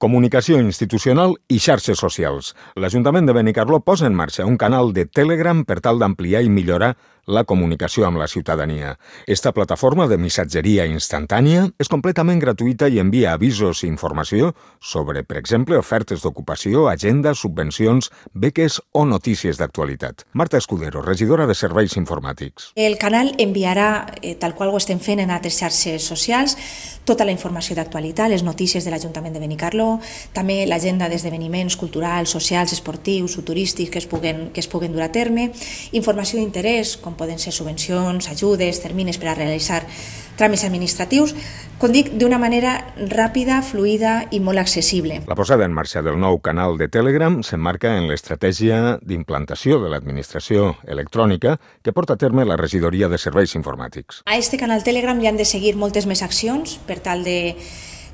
Comunicació institucional i xarxes socials. L'Ajuntament de Benicarló posa en marxa un canal de Telegram per tal d'ampliar i millorar la comunicació amb la ciutadania. Esta plataforma de missatgeria instantània és completament gratuïta i envia avisos i informació sobre, per exemple, ofertes d'ocupació, agenda, subvencions, beques o notícies d'actualitat. Marta Escudero, regidora de Serveis Informàtics. El canal enviarà, tal qual ho estem fent en altres xarxes socials, tota la informació d'actualitat, les notícies de l'Ajuntament de Benicarló, també l'agenda d'esdeveniments culturals, socials, esportius o turístics que es puguen dur a terme, informació d'interès, com poden ser subvencions, ajudes, termnis per a realitzar tràmits administratius, com dic, d'una manera ràpida, fluida i molt accessible. La posada en marxa del nou canal de Telegram s'emmarca en l'estratègia d'implantació de l'administració electrònica que porta a terme la Regidoria de Serveis Informàtics. A este canal Telegram li han de seguir moltes més accions per tal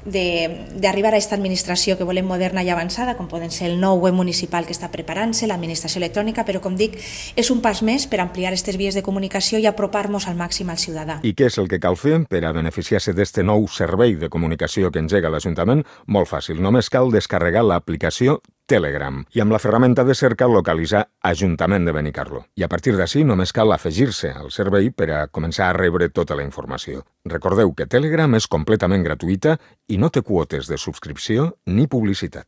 d'arribar a aquesta administració que volem moderna i avançada, com poden ser el nou web municipal que està preparant-se, l'administració electrònica, però com dic, és un pas més per ampliar aquestes vies de comunicació i apropar-nos al màxim al ciutadà. I què és el que cal fer per a beneficiar-se d'este nou servei de comunicació que engega l'Ajuntament? Molt fàcil, només cal descarregar l'aplicació Telegram i amb la ferramenta de cerca localitzar Ajuntament de Benicarló. I a partir d'ací només cal afegir-se al servei per a començar a rebre tota la informació. Recordeu que Telegram és completament gratuïta i no té quotes de subscripció ni publicitat.